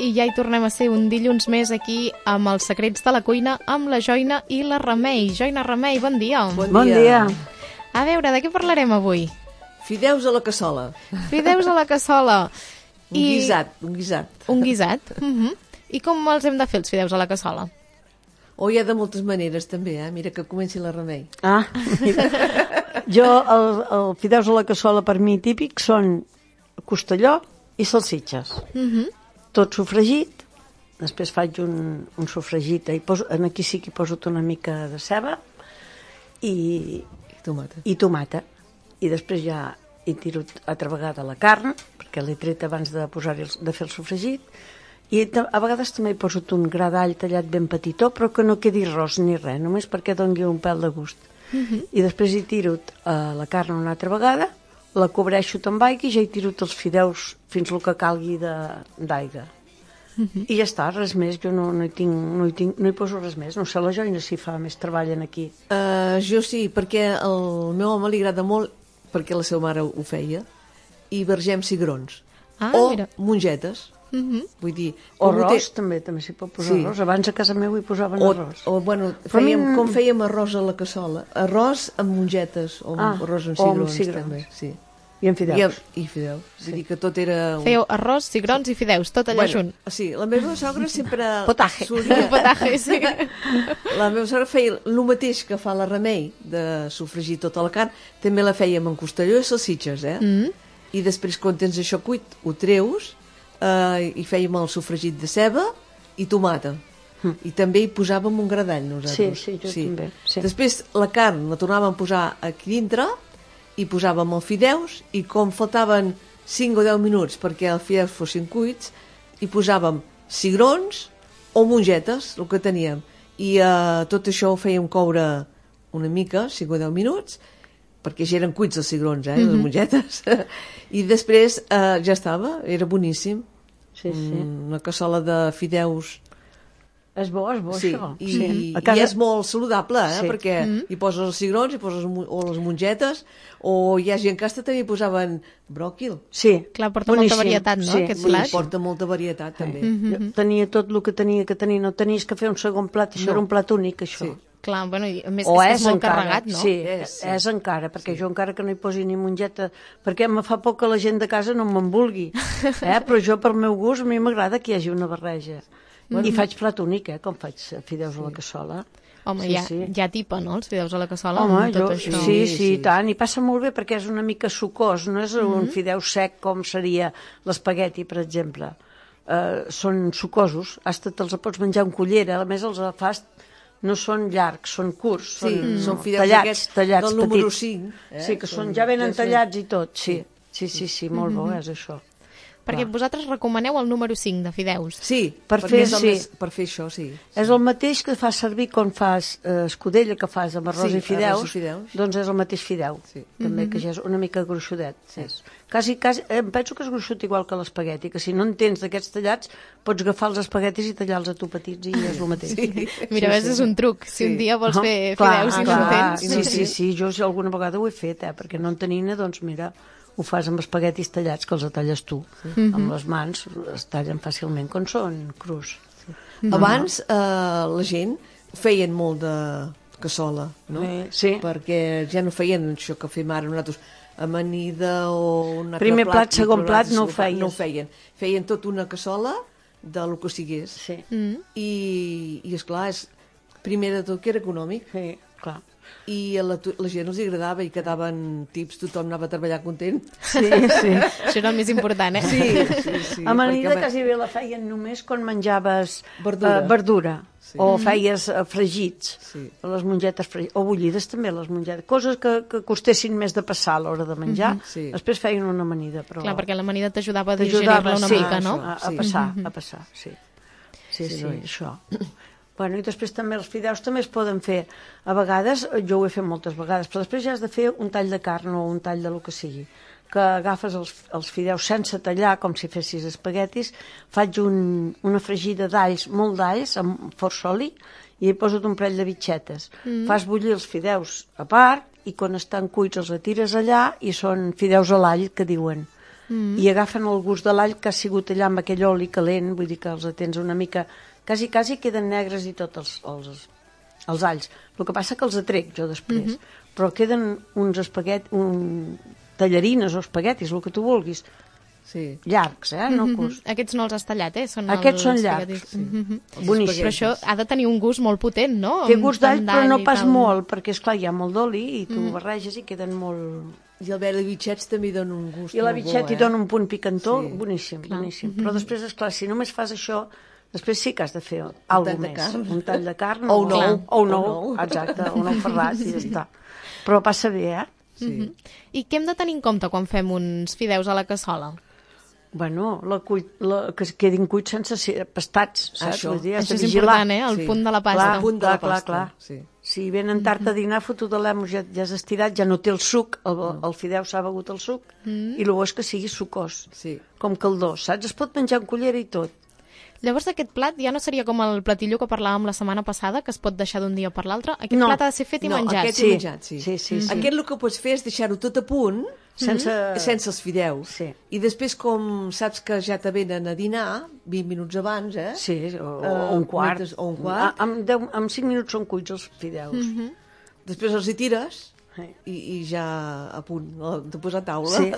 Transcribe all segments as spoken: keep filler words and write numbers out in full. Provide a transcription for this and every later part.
i ja hi tornem a ser un dilluns més aquí amb els secrets de la cuina amb la Joina i la Remei. Joina, Remei, bon dia. Bon dia. Bon dia. A veure, de què parlarem avui? Fideus a la cassola. Fideus a la cassola. Un I... guisat, un guisat. Un guisat. Uh -huh. I com els hem de fer, els fideus a la cassola? O hi ha de moltes maneres, també, eh? Mira que comenci la Remei. Ah, jo, el, el fideus a la cassola per mi típic són costelló i salsitxes. Uh -huh. Tot sofregit, després faig un, un sofregit, i poso, aquí sí que hi poso una mica de ceba i, I tomata. I tomata. I després ja hi tiro altra vegada la carn, perquè l'he tret abans de, posar-hi el, de fer el sofregit, i a vegades també hi poso un gra d'all tallat ben petitó, però que no quedi ros ni res, només perquè doni un pèl de gust. Uh -huh. I després hi tiro uh, la carn una altra vegada, la cobreixo amb aigua i ja hi tiro els fideus fins el que calgui d'aigua. Uh -huh. I ja està, res més, jo no, no, hi tinc, no, hi tinc, no hi poso res més. No sé, la Joina si fa més treball aquí. Uh, jo sí, perquè al meu home li agrada molt, perquè la seva mare ho feia, i vergem cigrons. Ah, o mira. mongetes. Uh -huh. Vull dir... O arròs, té... també, també s'hi pot posar sí. arròs. Abans a casa meu hi posaven o, arròs. O, bueno, fèiem, mi... com fèiem arròs a la cassola. Arròs amb mongetes, o ah, arròs amb cigrons, cigrons, cigrons. també. Sí. I amb fideus. I, amb, i fideus. Sí. Vull dir que tot era... Un... Fèieu arròs, cigrons i fideus, tot allà bueno, junt. Sí, la meva sogra sempre... Potaje. Solia... Potaje, sí. La meva sogra feia el mateix que fa la Remei, de sofregir tota la carn, també la fèiem en costelló i salsitxes, eh? Mm. I després, quan tens això cuit, ho treus, eh, i fèiem el sofregit de ceba i tomata. Mm. I també hi posàvem un gra d'all, nosaltres. Sí, sí, jo sí. també. Sí. Després, la carn la tornàvem a posar aquí dintre, i posàvem els fideus, i com faltaven cinc o deu minuts perquè els fideus fossin cuits, hi posàvem cigrons o mongetes, el que teníem. I eh, tot això ho fèiem coure una mica, cinc o deu minuts, perquè ja eren cuits els cigrons, eh, mm -hmm. les mongetes. I després eh, ja estava, era boníssim. Sí, sí. Una cassola de fideus. És bo, és bo, sí, això. I, sí. casa... i és molt saludable, eh? Sí. Perquè mm -hmm. hi poses els cigrons, hi poses o les mongetes, o hi ha gent que hasta també hi posaven bròquil. Sí. Clar, porta boníssim. molta varietat, no, sí, aquest sí, plat? Sí, porta molta varietat, també. Sí. Mm -hmm. Tenia tot el que tenia que tenir, no tenies que fer un segon plat, això no. era un plat únic, això. Sí. Clar, bueno, i a més o és, és, és molt encara, carregat, no? Sí, és, sí. és encara, perquè sí. jo encara que no hi posi ni mongeta, perquè me fa por que la gent de casa no me'n vulgui, eh? Però jo, per meu gust, a mi m'agrada que hi hagi una barreja. Mm-hmm. I faig plat únic, eh? Com faig fideus sí. a la cassola. Home, sí, ja, sí. ja tipa, no?, els fideus a la cassola. Home, amb tot jo, això. sí, sí, sí, sí, sí, tant, i passa molt bé perquè és una mica sucós, no és un mm-hmm. fideu sec com seria l'espagueti, per exemple. Uh, són sucosos, hasta te'ls pots menjar amb cullera, a més els fas no són llargs, són curts, sí, són, són fideus tallats, tallats del número petits. cinc. Eh? Sí, que són, són, ja venen ja tallats són... i tot, sí. Sí, sí, sí, molt bo, és això. Perquè Clar. vosaltres recomaneu el número cinc de fideus. Sí, per perquè fer, és el sí. més, per fer això, sí. És el mateix que fas servir quan fas eh, escudella, que fas amb arròs, Sí, i, fideus, arròs i fideus. doncs és el mateix fideu, Sí. també, Mm-hmm. que ja és una mica gruixudet. Sí. És. Quasi, quasi, em penso que és gruixut igual que l'espagueti, que si no en tens d'aquests tallats, pots agafar els espaguetis i tallar-los a tu petits i és el mateix. Sí. Mira, Sí, ves, sí. és un truc. Si Sí. un dia vols Ah, fer clar, fideus i no clar, en tens... Sí, sí, sí, jo si alguna vegada ho he fet, eh, perquè no en tenint, doncs mira, ho fas amb espaguetis tallats, que els talles tu. Sí. Mm-hmm. Amb les mans es tallen fàcilment quan són crus. Mm-hmm. Abans eh, la gent feien molt de cassola, no? Eh, sí. Perquè ja no feien això que fem ara nosaltres, amanida o un altre Primer plat, i segon plat, altre no ho segon plat, feies. No ho feien. Feien tot una cassola de lo que sigués. Sí, Mm. I, i esclar, és, primer de tot que era econòmic, sí, clar. i a la, la gent els agradava i quedaven tips, tothom anava a treballar content. Sí, sí. Això era el més important, eh? Sí, sí, sí. Amanida perquè- quasi bé la feien només quan menjaves Verdura. eh, verdura. Sí. O feies eh, fregits, Sí. les mongetes fregides, o bullides també, les mongetes, coses que, que costessin més de passar a l'hora de menjar, Sí. Després feien una amanida. Però Clar, perquè l'amanida t'ajudava a t'ajudava, digerir-la una sí, mica, no? A, a Sí. passar, a passar, sí. Sí, Sí, sí, noi. això. Bueno, i després també els fideus també es poden fer, a vegades, jo ho he fet moltes vegades, però després ja has de fer un tall de carn o un tall de lo que sigui, que agafes els, els fideus sense tallar, com si fessis espaguetis, faig un, una fregida d'alls, molt d'alls, amb força oli, i hi poso un parell de bitxetes. Mm. Fas bullir els fideus a part, i quan estan cuits els retires allà, i són fideus a l'all, que diuen. mm. i agafen el gust de l'all que ha sigut allà amb aquell oli calent, vull dir que els tens una mica... Quasi, quasi queden negres i tots els, els, els alls. El que passa que els atrec jo després. Mm-hmm. Però queden uns espaguetis, un... tallarines o espaguetis, el que tu vulguis. Sí. Llargs, eh? No mm-hmm. Aquests no els has tallat, eh? Són Aquests són llargs. Sí. Mm-hmm. Boníssims. Però això ha de tenir un gust molt potent, no? Té gust d'all, però no pas molt, perquè, esclar, hi ha molt d'oli i tu mm. barreges i queden molt... I el verd de bitxets també dona un gust I la bitxet hi eh? dona un punt picantó, sí. boníssim, clar. boníssim. Mm-hmm. Però després, esclar, si només fas això, després sí que has de fer alguna més. Carn. Un tall de carn. O un ou. O un ou, exacte, un ou ferrat i ja està. Però passa bé, eh? Sí. Mm-hmm. I què hem de tenir en compte quan fem uns fideus a la cassola? Bueno, la cuit, la, que quedin cuits sense ser pastats, saps? Això, Vull dir, Això és important, eh? El sí. punt de la pasta. Clar, El punt de la clar, pasta. clar, clar. Sí. Si venen tard a dinar, fotut de l'emo, ja, ja has estirat, ja no té el suc, el, el fideu s'ha begut el suc, mm. i el bo és que sigui sucós, Sí. com caldós, saps? Es pot menjar en cullera i tot. Llavors aquest plat ja no seria com el platillo que parlàvem la setmana passada, que es pot deixar d'un dia per l'altre. Aquest No. plat ha de ser fet i No, menjat. aquest Sí. i menjat, sí. Sí, sí, sí. Aquest el que pots fer és deixar-ho tot a punt, Sense... sense els fideus. Sí. I després, com saps que ja te venen a dinar, vint minuts abans, eh? Sí, o, Eh, o un quart. metes- o un quart. A, amb, deu, amb cinc minuts són cuits els fideus. Mm -hmm. Després els hi tires Sí. i, i ja a punt, de posar a taula. Sí.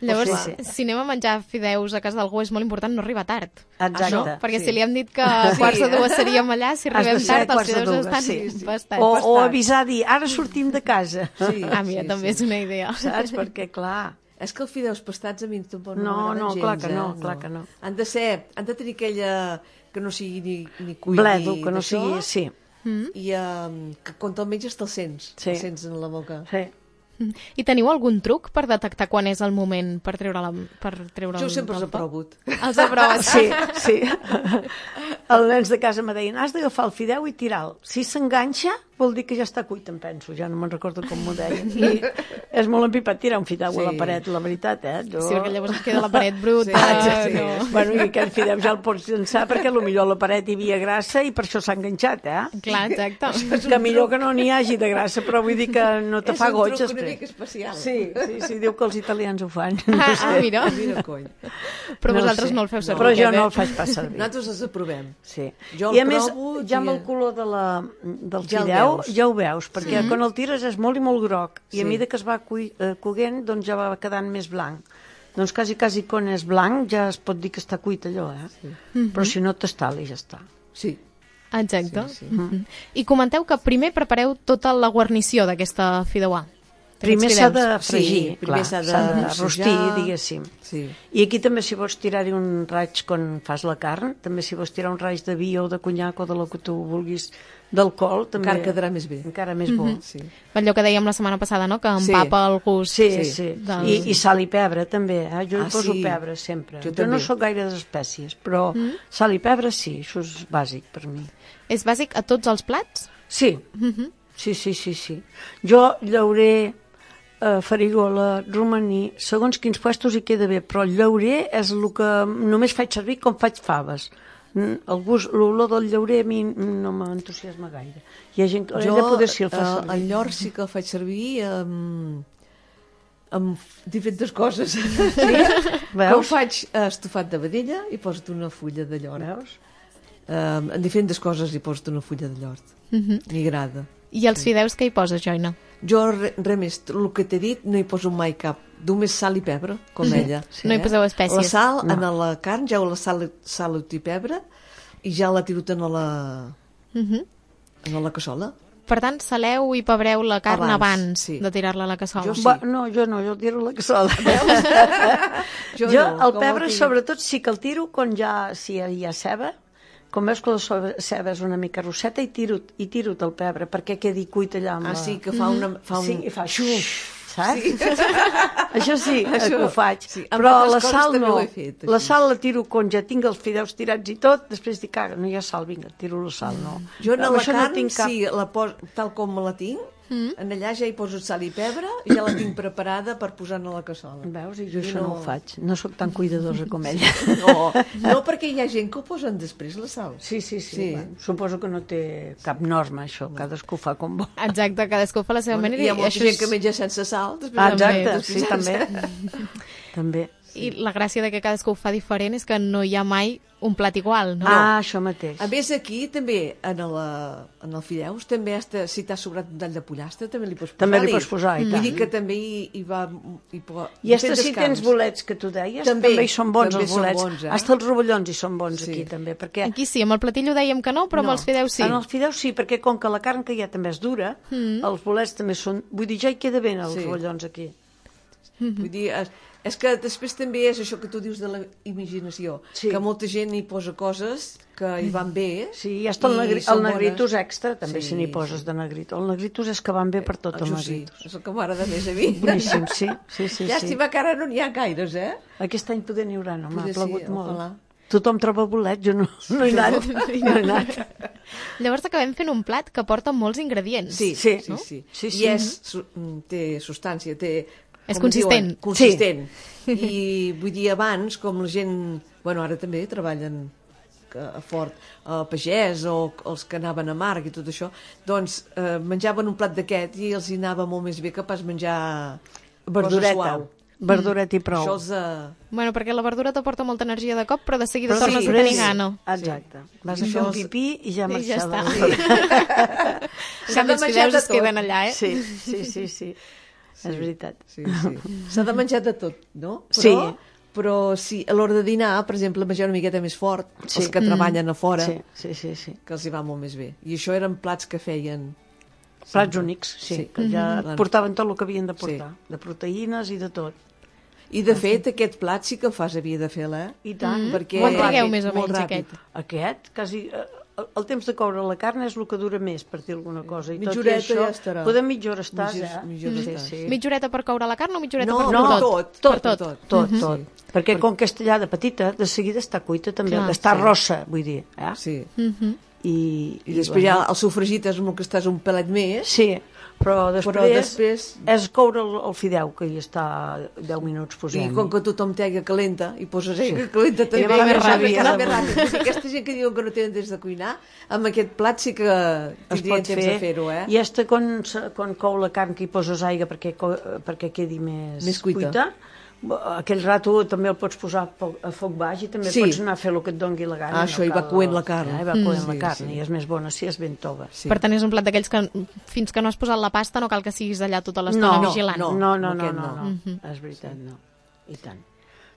Llavors, Sí, sí. si anem a menjar fideus a casa d'algú, és molt important no arribar tard. Exacte. No? Perquè Sí. si li hem dit que a quarts de dues seríem allà, si Has de arribem ser tard, els quarts de fideus dues, estan sí, sí. bastant. O, o bastant. avisar, dir, ara sortim de casa. Sí, Ah, mira, sí, també sí. és una idea. Saps? Perquè, clar... És que els fideus pastats a mi tampoc no, No, m'agraden no, gens, clar que eh? no, clar que no. Han de ser, han de tenir aquella que no sigui ni, ni cuit Bledo, ni que no d'això, sigui... Sí, i um, que quan te'l menges te'l sents, Sí. te'l sents en la boca. sí. I teniu algun truc per detectar quan és el moment per treure la per treure Jo el sempre els del he pa? provut. Els aproves? Sí, sí. Els nens de casa me deien, has d'agafar el fideu i tirar-lo. Si s'enganxa, vol dir que ja està cuit, em penso. Ja no me'n recordo com m'ho deien. I és molt empipat tirar un fideu Sí. a la paret, la veritat, eh? Jo... Sí, perquè llavors es queda la paret bruta. Sí, sí, sí. No. Bueno, i aquell fideu ja el pots llançar perquè potser a la paret hi havia grassa i per això s'ha enganxat, eh? Clar, exacte. Que millor que no n'hi hagi de grassa, però vull dir que no te És fa un goig truc una després. mica especial. Sí, sí, sí, diu que els italians ho fan. No Ah, sé. ah, mira. Mira, cony. Però No vosaltres sé. no el feu servir. Però jo aquest, no eh? el faig pas servir. Nosaltres els aprovem. Sí. Jo el I a més, provo, ja amb ja- el color de la, del Ja el fideu veus. ja ho veus, perquè Sí. quan el tires és molt i molt groc, i a Sí. mesura que es va cui, eh, coguent, doncs ja va quedant més blanc. Doncs quasi, quasi quan és blanc ja es pot dir que està cuit allò, eh? Sí. Però si no t'estali, ja està. Sí. Exacte. Sí, sí. Mhm. I comenteu que primer prepareu tota la guarnició d'aquesta fideuà. Primer d'aquests s'ha fideus. de fregir, Sí, primer clar, s'ha de s'ha de rossejar. rostir, diguéssim. Sí. I aquí també si vols tirar-hi un raig quan fas la carn, també si vols tirar un raig de vi o de conyac o de lo que tu vulguis d'alcohol, també... Encara quedarà més bé. Encara més bo. Sí. Allò que dèiem la setmana passada, no? Que Sí. empapa el gust. Sí, Sí. sí. Del- I, I sal i pebre, també. Eh? Jo hi Ah, poso sí. pebre, sempre. Jo Jo, no també. sóc gaire d'espècies, però mm. sal i pebre sí, això és bàsic per mi. És bàsic a tots els plats? Sí, Mhm. sí, sí, sí, sí. Jo llaurer, eh, farigola, romaní, segons quins puestos hi queda bé, però el llaurer és el que només faig servir com faig faves. Mm, El gust, l'olor del llaurer a mi no m'entusiasma gaire. Hi ha gent que ella poder sí el fa eh, servir. el llor sí que el faig servir amb, amb diferents coses. Sí? Veus? Com faig eh, estofat de vedella i poso una fulla de llor. Veus? Eh, en diferents coses hi poso una fulla de llor. Mhm. M'hi agrada. I els fideus que hi poses, Joina? Jo, res re més, el que t'he dit, no hi poso mai cap. Només sal i pebre, com ella. Sí. No hi poseu espècies. La sal, No. en la carn, ja la sal, sal i pebre, i ja la tiro en la, Mhm. en la cassola. Per tant, saleu i pebreu la carn abans, Abans, sí. de tirar-la a la cassola. Jo sí. Va, no, jo no, jo tiro la cassola. Jo, Jo, no, el com pebre, tinc. sobretot, sí que el tiro quan ja, si hi ha ceba, com veus que la so- ceba és una mica rosseta, i tiro, i tiro el pebre perquè quedi cuit allà amb Ah, la... sí, que fa, una, fa un... Sí, i fa xuf, saps? Sí. Això sí, Això- que ho faig. sí, amb Però altres la coses sal també no. ho he fet, La així. sal la tiro quan ja tinc els fideus tirats i tot, després dic, caga, no hi ha sal, vinga, tiro la sal, no. Jo en Amb la això carn, no tinc cap... sí, la pos, tal com me la tinc, mm. en allà ja hi poso sal i pebre, i ja la tinc preparada per posar-ne a la cassola. Veus? I jo I això no... no ho faig. No sóc tan cuidadosa com ella. No, no perquè hi ha gent que ho posen després, la sal. Sí, sí, sí. Sí. Bueno, suposo que no té cap norma, això. Cadascú fa com vol. Exacte, cadascú fa la seva Bueno, manera. hi ha i molta això gent és... que menja sense sal. Després Ah, també, exacte, després sí, sense- també. també. I la gràcia de que cadascú ho fa diferent és que no hi ha mai un plat igual, no? Ah, això mateix. A més, aquí també, en el, en el fideus, també has de, si t'has sobrat un tall de pollastre, també li pots posar. També li pots posar, i Vull tant. dir que també hi, hi va... Hi po... I hasta si tens bolets, que tu deies, També, també, hi són bons també els són bolets. bons, eh? Hasta els rovellons hi són bons Sí. aquí, també, perquè... Aquí sí, amb el platillo dèiem que no, però No. amb els fideus sí. En els fideus sí, perquè com que la carn que hi ha també és dura, mm. els bolets també són... Vull dir, ja hi queda bé els Sí. rovellons aquí. Vull dir, és, és que després també és això que tu dius de la imaginació, Sí. que molta gent hi posa coses que hi van bé. Sí, i hasta el, i negri, són el negritus bones. extra, també, Sí, si n'hi poses sí. de negritus. El negritus és que van bé per tot, el Això sí, negritus. és el que m'agrada més a mi. Boníssim, sí, sí, sí. sí. Llàstima que ara no n'hi ha gaires, eh? Aquest any poder n'hi haurà, no? M'ha Poder sí, plagut molt. ojalà. Tothom troba bolet, jo no, no he anat. No he anat. Llavors acabem fent un plat que porta molts ingredients. Sí, Sí. sí, sí. Sí, I sí. és, su, té substància, té... És com consistent. Diuen, consistent. I vull dir, abans, com la gent... Bueno, ara també treballen que- a fort, a pagès o els que anaven a Marc i tot això, doncs eh, menjaven un plat d'aquest i els hi anava molt més bé que pas menjar Verdureta. cosa suau. Verdureta i prou. Això els... Eh, Bueno, perquè la verdura t'aporta molta energia de cop, però de seguida Però tornes sí, a tenir sí. gana. Exacte. Vas I a fer això un és- pipí i ja I ja marxava. està. En canvi, els fideus de es queden tot. allà, eh? Sí, sí, sí, sí. És veritat. Sí, sí. S'ha de menjar de tot, no? Però, Sí. Però sí, a l'hora de dinar, per exemple, menjar una miqueta més fort, Sí. els que treballen a fora, Sí, sí, sí, sí. que els hi va molt més bé. I això eren plats que feien... Plats únics, sí, Sí. que ja Mhm. portaven tot el que havien de portar, de proteïnes i de tot. I, de fet, aquest plat sí que el fas havia de fer-la, eh? I tant. Perquè... Quan trigueu ràpid, més o molt menys, ràpid. aquest? Aquest, quasi... eh, El, el temps de coure la carn és el que dura més, per dir alguna cosa. I Mitja tot i horeta això, ja estarà. Podem mitja hora estàs, Mitja- eh? mitja hora sí, estàs. sí. Mitja horeta per coure la carn o mitja horeta No, per no, tot? tot, Per tot, tot. Tot, tot. Perquè com que és tallada petita, de seguida està cuita també, Clar, està sí. rossa, vull dir. Eh? Sí. Mhm. I, I després ja el sofregit és el que estàs un pelet més, Sí, però després, però després... és coure el, el fideu, que hi està deu minuts I posant. com que tothom té aigua calenta, i poses aigua calenta també, I va més saps ràpid. que anar més ràpid. Vull dir, aquesta gent que diuen que no tenen temps de cuinar, amb aquest plat sí que es tindrien pot temps fer, de fer-ho, eh? i hasta quan, se- quan cou la carn que hi poses aigua perquè, co- perquè quedi més, Més cuita. aquell rato també el pots posar a foc, a foc baix i també Sí. pots anar a fer el que et dongui la gana. Ah, això, i va coent la carn. Ja, i va coent Mm. la Sí, carn, sí. i és més bona si és ben tova. Sí. Per tant, és un plat d'aquells que fins que no has posat la pasta no cal que siguis allà tota l'estona No, vigilant. no. No, no, no, aquest no, no. no. Mhm. És veritat, no. I tant.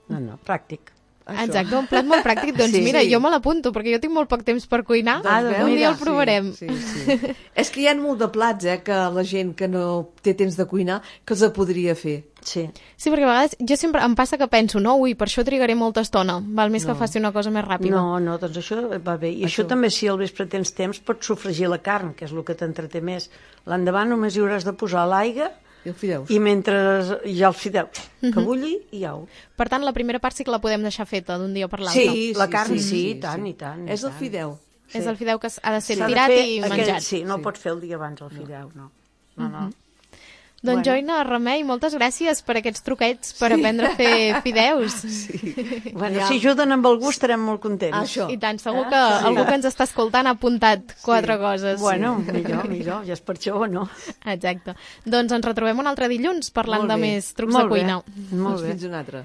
No, no, pràctic. Això. Exacte, un plat molt pràctic. Doncs Sí. mira, Sí. jo me l'apunto, perquè jo tinc molt poc temps per cuinar. Ah, Doncs doncs veus? un dia el mira, provarem. Sí, sí, sí. És que hi ha molt de plats, eh, que la gent que no té temps de cuinar, que els podria fer. Sí. Sí, perquè a vegades jo sempre em passa que penso, no, ui, per això trigaré molta estona. Val més que faci una cosa més ràpida. No, no, doncs això va bé. I això, Això. també, si al vespre tens temps, pots sofregir la carn, que és el que t'entreté més. L'endavant només hi hauràs de posar l'aigua I el fideus. i mentre hi ha els fideus, que bulli i au. Per tant, la primera part sí que la podem deixar feta d'un dia per l'altre. Sí, la carn sí, i tant, i tant. i És el tant. fideu. Sí. És el fideu que ha de ser S'ha de tirat fer i aquell- menjat. Sí, no Sí. el pots fer el dia abans, el fideu, no. No, no. Doncs Bueno. Joina, Remei, moltes gràcies per aquests truquets per aprendre a fer fideus. Sí. Bueno, Ja. si ajuden amb el gust estarem molt contents. Ah, això. I tant, segur Eh? que algú que ens està escoltant ha apuntat quatre coses. Bueno, millor, millor, ja és per això o no. Exacte. Doncs ens retrobem un altre dilluns parlant Molt de bé. més trucs Molt de bé, cuina. molt Doncs bé. fins un altre.